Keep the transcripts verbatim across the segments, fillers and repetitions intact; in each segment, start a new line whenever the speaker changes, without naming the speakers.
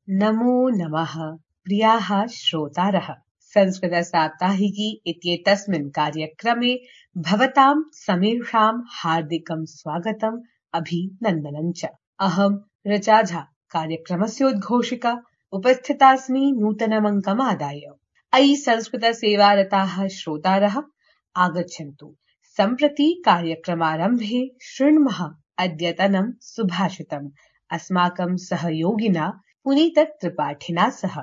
नमो नमः प्रियाः श्रोतारः, संस्कृतसाप्ताहिकी इत्येतस्मिन् कार्यक्रमे भवतां समेषां हार्दिकं स्वागतम् अभिनन्दनं च। अहं ऋचा झा कार्यक्रमस्योद्घोषिका उपस्थितास्मि नूतनमङ्कमादाय। अयि संस्कृतसेवारताः श्रोतारः आगच्छन्तु, सम्प्रति कार्यक्रमारम्भे शृण्मः अद्यतनं सुभाषितम् अस्माकं सहयोगिना पुनीत त्रिपाठिना सह।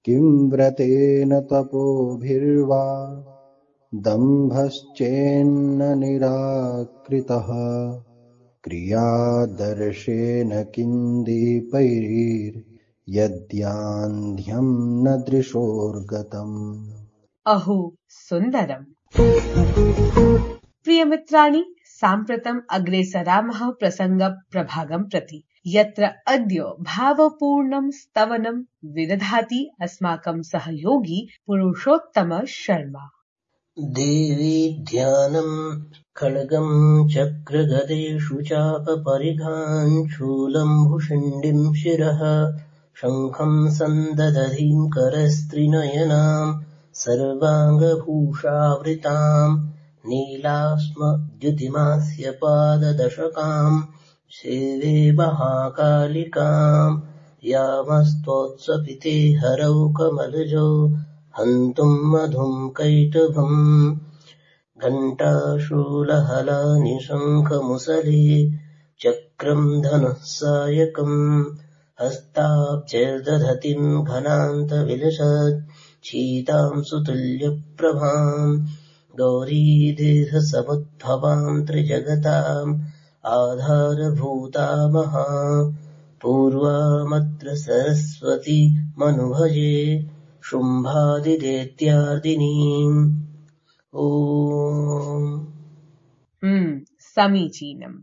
किं व्रतेन तपोभिर्वा दम्भश्चेन्न निराकृतः क्रियादर्शेन किं दीपैर्यद्यान्ध्यं न दृशोर्गतम्।
अहो सुन्दरम्। प्रियमित्राणि, साम्प्रतम् अग्रेसरामः प्रसङ्गप्रभागं प्रति, यत्र अद्य भावपूर्णं स्तवनं विदधाति अस्माकं सहयोगी पुरुषोत्तम शर्मा।
देवी ध्यानं खड्गं चक्रगदेषु चापपरिघान् शूलं भुषण्डिं शिरः शङ्खं सन्ददधीं करस्त्रिनयनां सर्वाङ्गभूषावृतां नीलास्मद्युतिमास्य पाददशकां सेवे महाकालिकां यामस्तोत्सपिते हरौ कमलजो हन्तुं मधुं कैटभम् घण्टाशूलहलानि शङ्खमुसले चक्रं धनुः सायकम् हस्ताब्जैर्दधतीं घनान्तविलसत् शीतां सुतुल्यप्रभां गौरीदेहसमुद्भवां त्रिजगताम् आधारभूता महा पूर्वामत्र सरस्वती मनुभजे शुम्भादिदैत्यार्दिनीम्। ओम्।
हम्म समीचीनम्।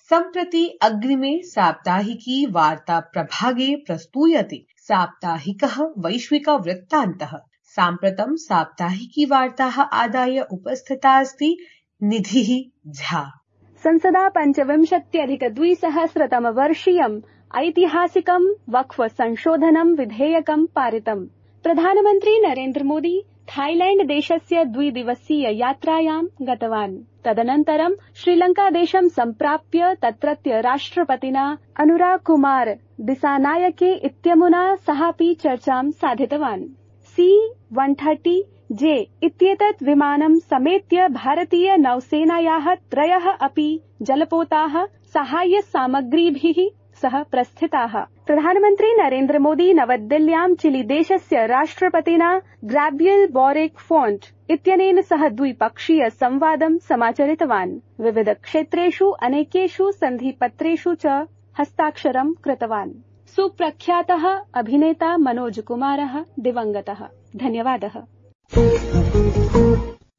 सम्प्रति अग्रिमे साप्ताहिकी वार्ता प्रभागे प्रस्तूयते साप्ताहिकः वैश्विकवृत्तान्तः। साम्प्रतं साप्ताहिकी वार्ताः आदाय उपस्थिता अस्ति निधिः झा।
संसदा पञ्चविंशत्यधिकद्विसहस्रतमवर्षीयम् ऐतिहासिकं वक्फ संशोधनं विधेयकं पारितम्। प्रधानमन्त्री नरेन्द्र मोदी थाईलैण्ड देशस्य द्विदिवसीय यात्रायां गतवान्। तदनन्तरं श्रीलङ्कादेशं सम्प्राप्य तत्रत्य राष्ट्रपतिना अनुराग कुमार दिसानायके इत्यमुना सहापि चर्चां साधितवान्। सी वन थर्टी जे इत्येतत् विमानं समेत्य भारतीय नौसेनायाः त्रयः अपि जलपोताः साहाय्यसामग्रीभिः सह प्रस्थिताः। प्रधानमन्त्री नरेन्द्र मोदी नवदिल्ल्यां चिलीदेशस्य राष्ट्रपतिना ग्राबियल बोरिक फोन्ट इत्यनेन सह द्विपक्षीय संवादं समाचरितवान्। विविध क्षेत्रेषु अनेकेषु सन्धिपत्रेषु च हस्ताक्षरं कृतवान्। सुप्रख्यातः अभिनेता मनोज कुमारः दिवङ्गतः। धन्यवादः।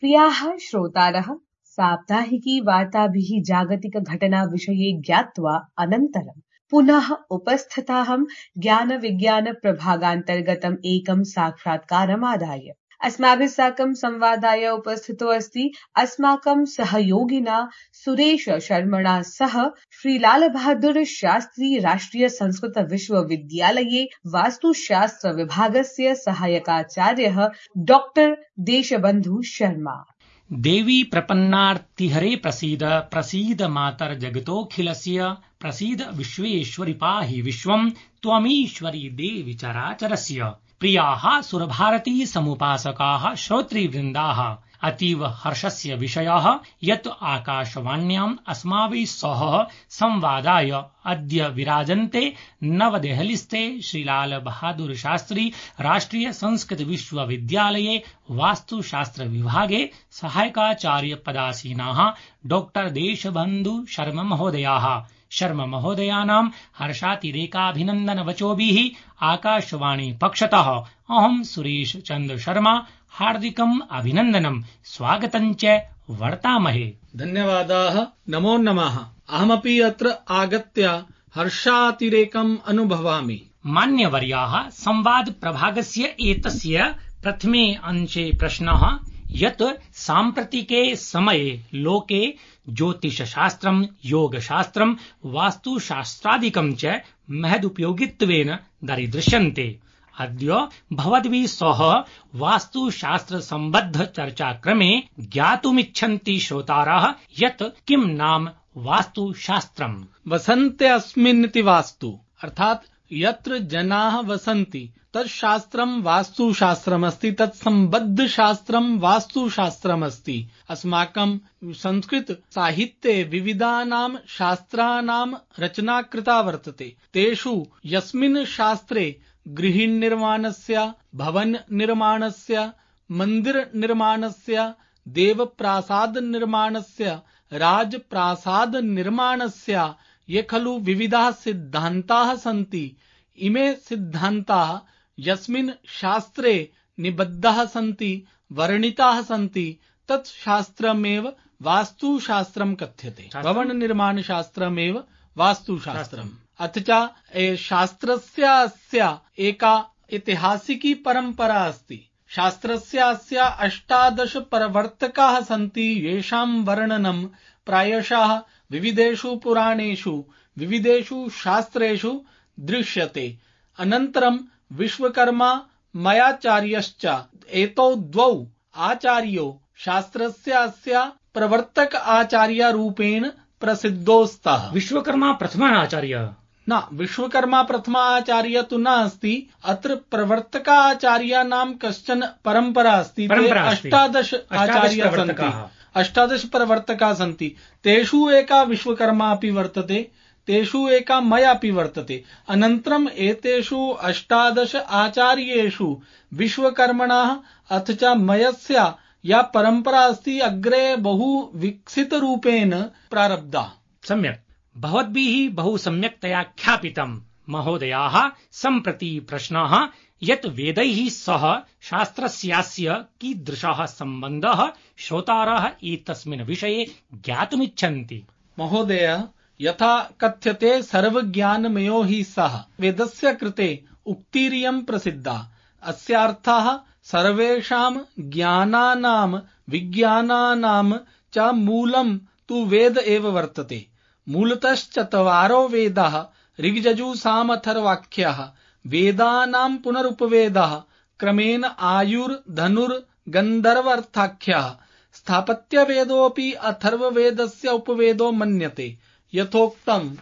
प्रियाः श्रोतारः, साप्ताहिकी वार्ताभिः जागतिक घटना विषये ज्ञात्वा अनन्तरं पुनः उपस्थिताहं ज्ञान विज्ञान प्रभागान्तर्गतम् एकं साक्षात्कारमादाय। अस्माभिः साकं संवादाय उपस्थितो अस्ति अस्माकं सहयोगिना सुरेश शर्मणा सह श्री लाल बहादुर शास्त्री राष्ट्रिय संस्कृत विश्वविद्यालये वास्तुशास्त्र विभागस्य सहायकाचार्यः डॉक्टर देशबन्धु शर्मा।
देवी प्रपन्नार्तिहरे प्रसीद प्रसीद मातर जगतोऽखिलस्य प्रसीद विश्वेश्वरि पाहि विश्वं त्वमीश्वरी देवी चराचरस्य। प्रियाः सुरभारती समुपासकाः श्रोतृवृन्दाः, अतीव हर्षस्य विषयः यत् आकाशवाण्याम् अस्माभिः सह संवादाय अद्य विराजन्ते नवदेहलीस्थे श्रीलाल बहादुर शास्त्री राष्ट्रिय संस्कृत विश्वविद्यालये वास्तुशास्त्र विभागे सहायकाचार्य पदासीनाः डॉक्टर देशबन्धु शर्मा महोदयाः। शर्मा महोदयानां हर्षातिरेकाभिनन्दनवचोभिः आकाशवाणी पक्षतः अहं सुरेश चन्द्र शर्मा हार्दिकम् अभिनन्दनं स्वागतं च वर्तामहे।
धन्यवादाः, नमो नमः। अहमपि अत्र आगत्य हर्षातिरेकम् अनुभवामि।
मान्यवर्याः, संवाद प्रभागस्य एतस्य प्रथमे अंशे प्रश्नः यत् साम्प्रतिके समये लोके ज्योतिषशास्त्रम्, योगशास्त्रम्, वास्तुशास्त्रादिकम् च महदुपयोगित्वेन दरीदृश्यन्ते। अद्य भवद्भिः सह वास्तुशास्त्रसम्बद्ध चर्चाक्रमे ज्ञातुमिच्छन्ति श्रोतारः यत् किं नाम वास्तुशास्त्रम्।
वसन्ते अस्मिन्निति वास्तु, अर्थात यत्र जनाः वसन्ति तत् शास्त्रम् वास्तुशास्त्रमस्ति, तत् सम्बद्ध शास्त्रम् वास्तुशास्त्रमस्ति। अस्माकं संस्कृत साहित्ये विविधानां शास्त्राणां रचना कृता वर्तते। तेषु यस्मिन् शास्त्रे गृहनिर्माणस्य, भवन निर्माणस्य, मंदिर निर्माणस्य, देवप्रासाद निर्माणस्य, राजप्रासाद निर्माणस्य ये खलु विविधाः सिद्धान्ताः सन्ति, इमे सिद्धान्ताः यस्मिन् शास्त्रे निबद्धाः सन्ति, वर्णिताः सन्ति, तत् शास्त्रमेव वास्तुशास्त्रम् कथ्यते। भवन निर्माण शास्त्रमेव वास्तुशास्त्रम्। अथ च शास्त्रस्य अस्य एका ऐतिहासिकी परम्परा अस्ति। शास्त्रस्य अस्य अष्टादश प्रवर्तकाः सन्ति, येषां वर्णनं प्रायशः विविधेषु पुराणेषु, विविधेषु शास्त्रेषु दृश्यते। अनन्तरं विश्वकर्मा मयाचार्यश्च एतौ द्वौ आचार्यौ शास्त्रस्य अस्य प्रवर्तक आचार्यरूपेण प्रसिद्धौ स्तः।
विश्वकर्मा प्रथम आचार्य
न, विश्वकर्मा प्रथमा आचार्य तु न अस्ति। अत्र प्रवर्तकाचार्याणां कश्चन परम्परा अस्ति। अष्टादश आचार्याः सन्ति, अष्टादश प्रवर्तकाः सन्ति। तेषु एका विश्वकर्मा अपि वर्तते, तेषु एका मया अपि वर्तते। अनन्तरम् एतेषु अष्टादश आचार्येषु विश्वकर्मणः अथ च मयस्य या परम्परा अस्ति अग्रे बहु विकसितरूपेण प्रारब्धा।
सम्यक्, भवद्भिः बहु सम्यक्तया ख्यापितम्। महोदयाः, सम्प्रति प्रश्नः यत् वेदैः सह शास्त्रस्यास्य कीदृशः सम्बन्धः श्रोतारः एतस्मिन् विषये ज्ञातुमिच्छन्ति।
महोदय, यथा कथ्यते सर्वज्ञानमयो हि सः, वेदस्य कृते उक्तिरियं प्रसिद्धा। अस्यार्थः सर्वेषां ज्ञानानां विज्ञानानां च मूलं तु वेद एव वर्तते। मूलतश्चत्वारो वेदाः ऋग्यजुसामथर्वाख्याः, वेदानां पुनरुपवेदः, क्रमेण आयुर्धनुर्गन्धर्वार्थाख्याः। स्थापत्यवेदोऽपि अथर्ववेदस्य उपवेदो मन्यते। यथोक्तम्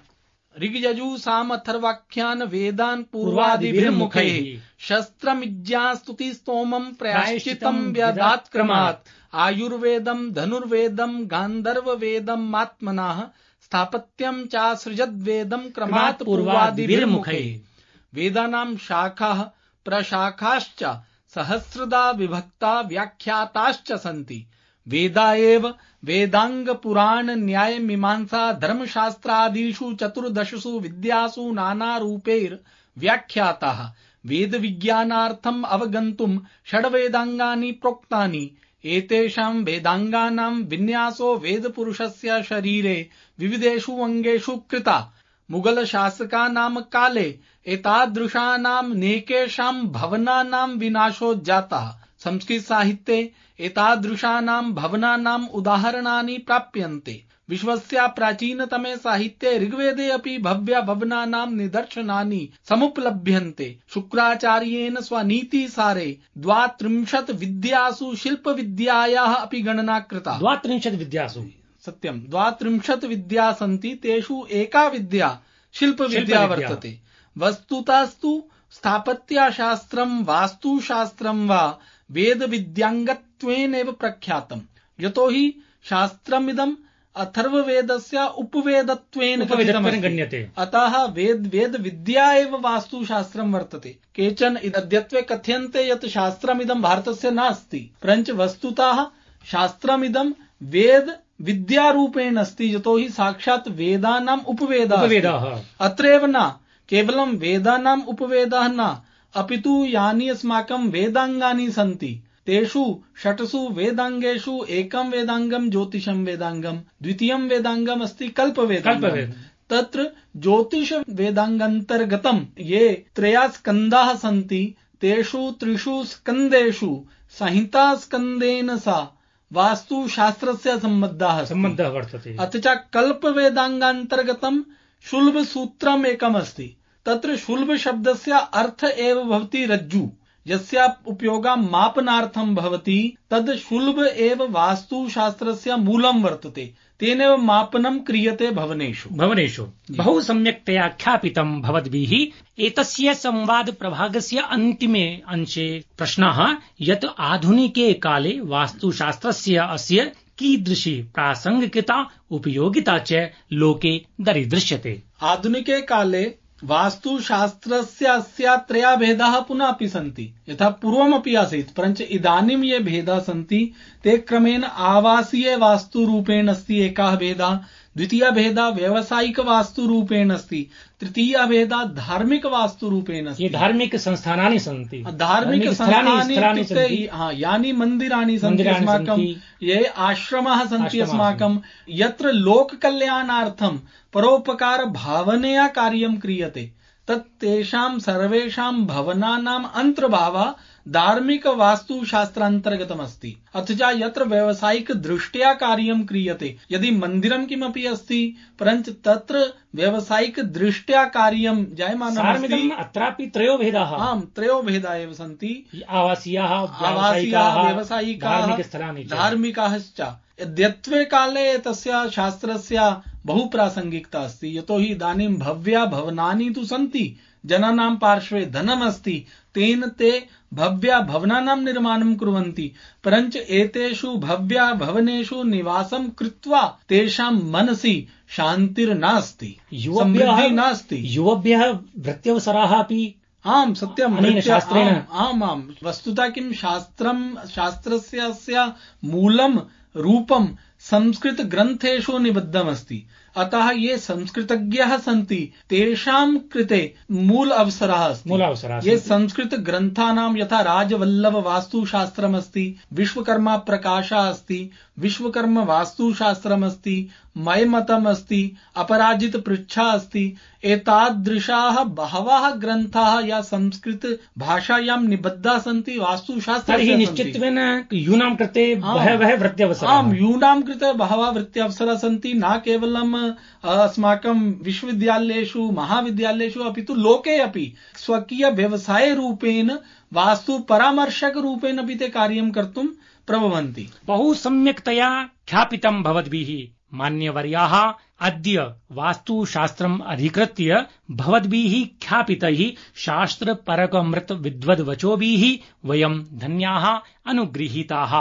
ऋग्यजुसामथर्वाख्यान् वेदान् पूर्वादिभिर्मुखैः शस्त्रमिज्ञास्तुतिस्तोमं प्रायश्चितं व्यदात् क्रमात्। आयुर्वेदं धनुर्वेदं गान्धर्ववेदम् आत्मनः स्थापत्यं चासृजद्वेदं क्रमात् पूर्वादिभिर्मुखैः। वेदानां शाखाः प्रशाखाश्च सहस्रदा विभक्ता व्याख्याताश्च सन्ति। वेदा एव वेदांग पुराण न्याय मीमांसा धर्मशास्त्रादिषु चतुर्दशसु विद्यासु नाना रूपैर् व्याख्याताः। वेद विज्ञानार्थम् अवगन्तुं षड्वेदांगानि प्रोक्तानि। एतेषां वेदांगानां विन्यासो वेदपुरुषस्य शरीरे विविधेषु अङ्गेषु कृता। मुगल शासकानां काले एतादृशानां नेकेषां भवनानां विनाशो जातः। संस्कृत साहित्ये एतादृशानां भवनानाम् उदाहरणानि प्राप्यन्ते। विश्वस्य प्राचीनतमे साहित्ये ऋग्वेदे अपि भव्य भवनानां निदर्शनानि समुपलभ्यन्ते। शुक्राचार्येण स्वनीतिसारे द्वात्रिंशत् विद्यासु शिल्पविद्यायाः अपि गणना कृता।
द्वात्रिंशत् विद्यासु
सत्यं, द्वात्रिंशत् विद्या सन्ति, तेषु एका विद्या शिल्पविद्या वर्तते। वस्तुतस्तु स्थापत्यशास्त्रं वास्तुशास्त्रं वा वेदविद्याङ्गत्वेनैव प्रख्यातम्। यतोहि शास्त्रमिदम् अथर्ववेदस्य उपवेदत्वेन
गण्यते।
अतः वेद वेद विद्या एव वास्तुशास्त्रं वर्तते। केचन अद्यत्वे कथयन्ते यत् शास्त्रमिदं भारतस्य नास्ति, परञ्च वस्तुतः शास्त्रमिदं वेद विद्यारूपेण अस्ति। यतोहि साक्षात् वेदानाम् उपवेदः। अत्रैव न केवलं वेदानाम् उपवेदः न, अपितु यानि अस्माकं वेदांगानि सन्ति तेषु षट्सु वेदांगेषु एकं वेदांगं ज्योतिषं वेदांगं, द्वितीयं वेदांगम् अस्ति कल्पवेदांगम्। तत्र ज्योतिष वेदांगान्तर्गतं ये त्रयः स्कन्धाः सन्ति तेषु त्रिषु स्कन्देषु संहितास्कन्देन सा वास्तुशास्त्रस्य सम्बद्धः
सम्बन्धः वर्तते।
अथ च कल्पवेदाङ्गान्तर्गतं शुल्बसूत्रम् एकमस्ति। तत्र शुल्ब शब्दस्य अर्थ एव भवति रज्जु, यस्य उपयोगः मापनार्थं भवति। तद् शुल्ब एव वास्तुशास्त्रस्य मूलं वर्तते। तेनैव मापनं क्रियते भवनेषु
भवनेषु बहु सम्यक्तया ख्यापितं भवद्भिः। एतस्य संवाद प्रभागस्य अन्तिमे अंशे प्रश्नः यत् आधुनिके काले वास्तुशास्त्रस्य अस्य कीदृशी प्रासंगिकता उपयोगिता च लोके दरीदृश्यते।
आधुनिके काले वास्तुशास्त्रस्य अस्या त्रयः भेदाः पुनः अपि सन्ति। यथा पूर्वमपि आसीत्, परञ्च इदानीं ये भेदाः सन्ति ते क्रमेण आवासीय वास्तुरूपेण अस्ति एकः भेदः, द्वितीयः भेदः व्यावसायिक वास्तुरूपेण अस्ति, तृतीयः भेदः धार्मिक वास्तुरूपेण अस्ति।
ये धार्मिक संस्थानानि सन्ति,
धार्मिक संस्थानानि इत्युक्ते हाँ, यानि मन्दिराणि सन्ति अस्माकं, ये आश्रमाः सन्ति अस्माकं, यत्र लोककल्याणार्थं परोपकार भावनया कार्यं क्रियते, तत् तेषां सर्वेषां भवनानाम् अन्तर्भावः धार्मिक वास्तुशास्त्रान्तर्गतमस्ति। अथ च यत्र व्यावसायिक दृष्ट्या कार्यं क्रियते, यदि मन्दिरं किमपि अस्ति परञ्च तत्र व्यावसायिक दृष्ट्या कार्यं जायमानमस्ति,
अत्रापि त्रयो भेदाः
आम् त्रयो भेदाः एव सन्ति।
आवासीयाः,
आवासीयाः, व्यावसायिकाः,
धार्मिकस्थलानि च।
धार्मिकाश्च। अद्यत्वे काले तस्य शास्त्रस्य बहु प्रासंगिकता अस्ति, यतोहि इदानीं भव्या भवनानि तु सन्ति, जनानां पार्श्वे धनमस्ति, तेन ते भव्या भवनानां निर्माणं कुर्वन्ति, परञ्च एतेषु भव्या भवनेषु निवासं कृत्वा तेषां मनसि शान्तिर्नास्ति, समृद्धिः नास्ति।
युवभ्यः वृत्त्यवसराः अपि
आम् सत्यम्,
अनेन शास्त्रेण
आम् आम् वस्तुतः किं शास्त्रं शास्त्रस्य अस्य मूलं रूपं संस्कृत ग्रन्थेषु निबद्धमस्ति। अतः ये संस्कृतज्ञाः सन्ति तेषां कृते मूल अवसरः अस्ति।
मूल अवसरः
ये संस्कृत ग्रन्थानां यथा राजवल्लभ वास्तुशास्त्रमस्ति, विश्वकर्मा प्रकाशः अस्ति, विश्वकर्म वास्तुशास्त्रमस्ति, मयमतम् अस्ति, अपराजित पृच्छा अस्ति, एतादृशाः बहवः ग्रन्थाः या संस्कृत भाषायां निबद्धाः सन्ति वास्तुशास्त्रस्य।
निश्चितत्वेन यूनां कृते बहवः वृत्त्यवसराः,
आम् यूनां कृते बहवः वृत्त्यवसराः सन्ति, न केवलं अस्माकं विश्वविद्यालयेषु महाविद्यालयेषु अपि तु लोके अपि स्वकीय व्यवसाय रूपेण वास्तु परामर्शक रूपेण अपि ते कार्यं कर्तुं प्रभवन्ति।
बहु सम्यक्तया ख्यापितं भवद्भिः मान्यवर्याः। अद्य वास्तुशास्त्रम् अधिकृत्य भवद्भिः ख्यापितैः शास्त्रपरकमृत विद्वद्वचोभिः वयं धन्याः अनुगृहीताः।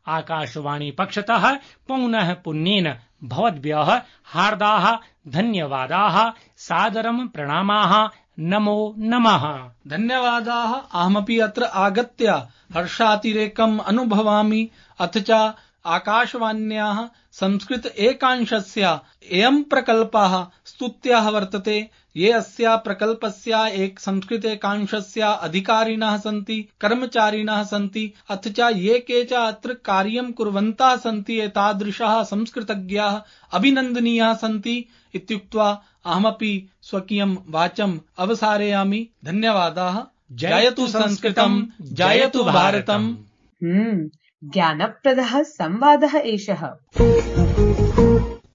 आकाशवाणी पक्षतः पौनः पुन्येन भवद्भ्यः हार्दाः धन्यवादाः, सादरं प्रणामाः, नमो नमः।
धन्यवादाः। अहमपि अत्र आगत्य हर्षातिरेकम् अनुभवामि। अथ च आकाशवाण्याः संस्कृत एकांशस्य अयं प्रकल्पः स्तुत्यः वर्तते। ये अस्या प्रकल्पस्य एक संस्कृत एकांशस्य अधिकारिणः सन्ति, कर्मचारिणः सन्ति, अथ च ये के च अत्र कार्यं कुर्वन्तः सन्ति, एतादृशाः संस्कृतज्ञाः अभिनन्दनीयाः सन्ति इत्युक्त्वा अहमपि स्वकीयं वाचम् अवसारयामि। धन्यवादाः। जयतु संस्कृतं, जयतु भारतम्।
हम्म ज्ञानप्रदः संवादः एषः।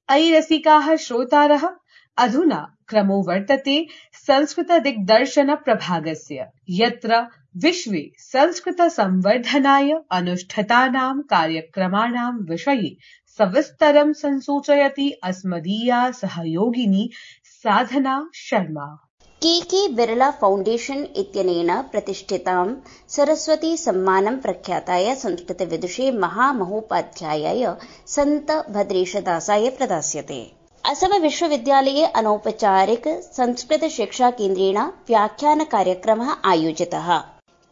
अयि रसिकाः श्रोतारः, अधुना क्रमो वर्तते संस्कृत दिग्दर्शन प्रभागस्य, यत्र विश्वे संस्कृत संवर्धनाय अनुष्ठितानां कार्यक्रमाणां विषये सविस्तरं संसूचयति अस्मदीया सहयोगिनी साधना शर्मा।
के के बिरला फाउण्डेशन् इत्यनेन प्रतिष्ठितां सरस्वती सम्मानं प्रख्याताय संस्कृतविदुषे महामहोपाध्यायाय सन्त भद्रेशदासाय प्रदास्यते। असम विश्वविद्यालये अनौपचारिक संस्कृत शिक्षा केन्द्रेण व्याख्यान कार्यक्रमः आयोजितः।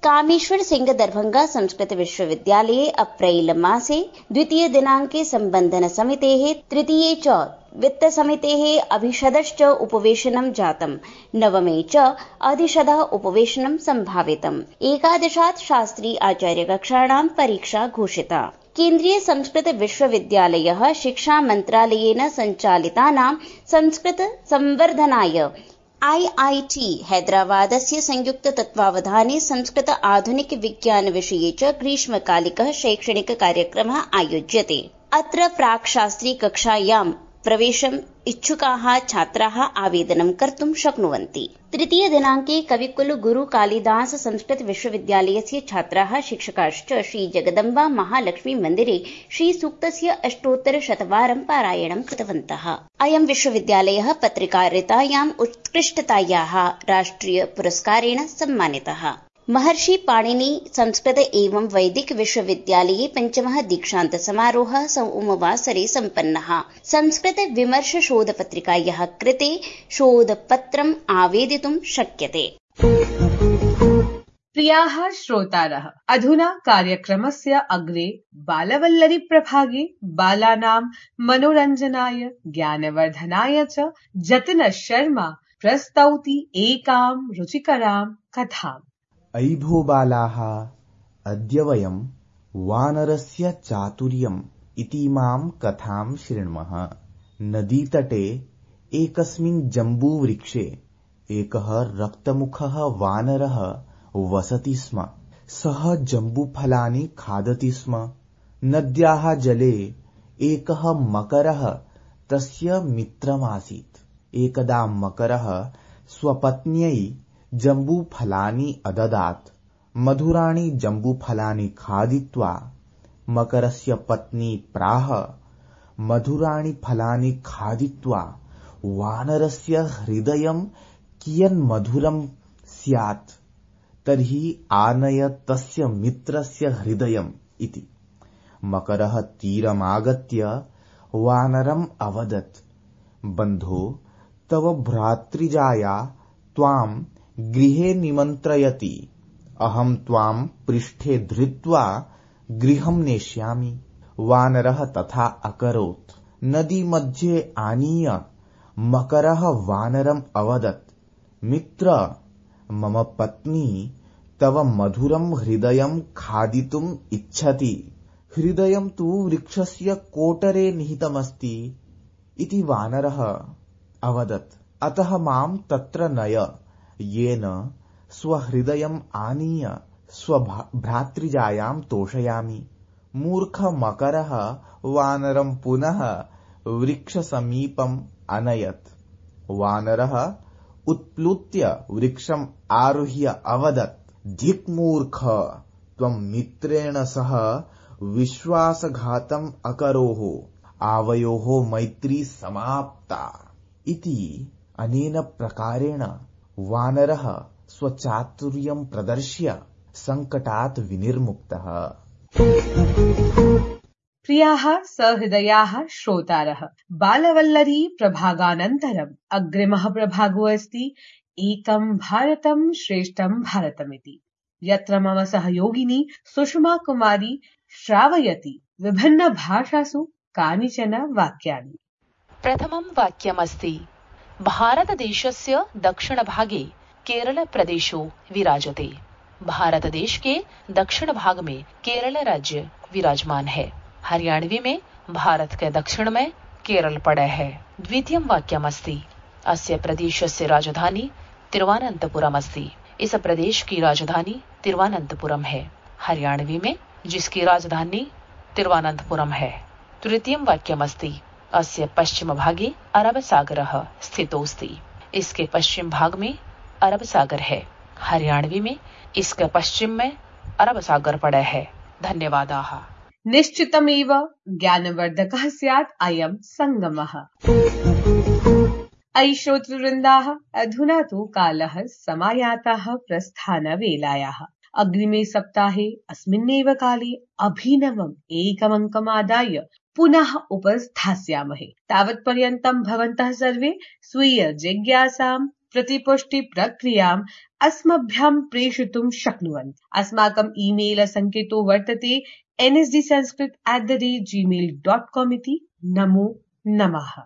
कामेश्वर सिंह दरभंगा संस्कृत विश्वविद्यालये अप्रैल मासे द्वितीय दिनाङ्के सम्बन्धन समितेः तृतीये च वित्त समितेः अभिषदश्च उपवेशनं जातम्। नवमे च अधिषदः उपवेशनं सम्भावितम्। एकादशात् शास्त्री आचार्य कक्षाणां परीक्षा घोषिता। केन्द्रीय संस्कृत विश्वविद्यालयः शिक्षा मन्त्रालयेन सञ्चालितानां संस्कृत संवर्धनाय आई आई टी हैदराबादस्य संयुक्त तत्त्वावधाने संस्कृत आधुनिक विज्ञान विषये च ग्रीष्मकालिकः शैक्षणिक कार्यक्रमः आयोज्यते। अत्र प्राक्शास्त्री कक्षायां प्रवेशम् इच्छुकाः छात्राः आवेदनं कर्तुं शक्नुवन्ति। तृतीय दिनाङ्के कविकुल गुरु कालिदास संस्कृत विश्वविद्यालयस्य छात्राः शिक्षकाश्च श्री जगदम्बा महालक्ष्मी मन्दिरे श्री सूक्तस्य अष्टोत्तर शतवारं पारायणं कृतवन्तः। अयं विश्वविद्यालयः पत्रकारितायाम् उत्कृष्टतायाः राष्ट्रिय पुरस्कारेण सम्मानितः। महर्षि पाणिनि संस्कृत एवं वैदिक विश्वविद्यालये पञ्चमः दीक्षान्त समारोहः सोमवासरे सम्पन्नः। संस्कृत विमर्श शोध पत्रिकायाः कृते शोधपत्रम् आवेदितुं शक्यते।
प्रियाः श्रोतारः, अधुना कार्यक्रमस्य अग्रे बालवल्लरी प्रभागे बालानां मनोरञ्जनाय ज्ञानवर्धनाय च जतिन शर्मा प्रस्तौति एकां रुचिकरां कथाम्।
अयि भो बालाः, अद्य वयं वानरस्य चातुर्यम् इतीमां कथां शृण्मः। नदीतटे एकस्मिन् जम्बूवृक्षे एकः रक्तमुखः वानरः वसति स्म। सः जम्बूफलानि खादति स्म। नद्याः जले एकः मकरः तस्य मित्रमासीत्। एकदा मकरः स्वपत्न्यै जम्बूफलानि अददात्। मधुराणि जम्बूफलानि खादित्वा मकरस्य पत्नी प्राह, मधुराणि फलानि खादित्वा वानरस्य हृदयं कियन् मधुरं स्यात्, तर्हि आनय तस्य मित्रस्य हृदयम् इति। मकरः तीरमागत्य वानरम् अवदत्, बन्धो, तव भ्रातृजाया त्वाम् गृहे निमन्त्रयति। अहं त्वाम् पृष्ठे धृत्वा गृहं नेष्यामि। वानरः तथा अकरोत्। नदी मध्ये आनीय मकरः वानरम् अवदत्, मित्र, मम पत्नी तव मधुरं हृदयं खादितुम् इच्छति। हृदयं तु वृक्षस्य कोटरे निहितमस्ति इति वानरः अवदत्। अतः मां तत्र नय, येन स्वहृदयम् आनीय स्वभ्रातृजायां तोषयामि। मूर्ख मकरः वानरं पुनः वृक्षसमीपम् अनयत्। वानरः उत्प्लुत्य वृक्षम् आरुह्य अवदत्, धिक् मूर्ख, त्वं मित्रेण सह विश्वासघातम् अकरोः, आवयोः मैत्री समाप्ता इति। अनेन प्रकारेण वानरः स्वचातुर्यं प्रदर्श्य संकटात् विनिर्मुक्तः।
प्रियाः सहृदयाः श्रोतारः, बालवल्लरी प्रभागानन्तरम् अग्रिमः प्रभागो अस्ति एकं भारतं श्रेष्ठं भारतमिति, यत्र मम सहयोगिनी सुषमा कुमारी श्रावयति विभिन्न भाषासु कानिचन वाक्यानि।
प्रथमं वाक्यमस्ति, भारतदेशस्य दक्षिणभागे केरलप्रदेशो विराजते। भारतदेश के दक्षिण भाग में केरल राज्य विराजमान है। हरियाणवी में भारत के दक्षिण में केरल पड़े है। द्वितीयं वाक्यमस्ति, अस्य प्रदेशस्य राजधानी तिरुवनंतपुरम अस्ति। इस प्रदेश की राजधानी तिरुवनंतपुरम है। हरियाणवी में जिसकी राजधानी तिरुवनंतपुरम है। तृतीयं वाक्यमस्ति, अस्य पश्चिम भागे अरब सागरः स्थितोऽस्ति। इसके पश्चिम भाग में अरब सागर है। हरियाणवी में इसके पश्चिम में अरब सागर पड़े है। धन्यवादाः।
निश्चितमेव ज्ञानवर्धकः स्यात् अयं सङ्गमः। अयि श्रोतृवृन्दाः, अधुना तु कालः समायातः प्रस्थानवेलायाः। अग्रिमे सप्ताहे अस्मिन्नेव काले अभिनवम् एकमङ्कमादाय पुनः उपस्थास्यामहे। तावत्पर्यन्तं भवन्तः सर्वे स्वीय जिज्ञासां प्रतिपुष्टि प्रक्रियाम् अस्मभ्यं प्रेषितुं शक्नुवन्ति। अस्माकम् ईमेल सङ्केतो वर्तते N S D Sanskrit at the rate Gmail dot com इति। नमो नमः।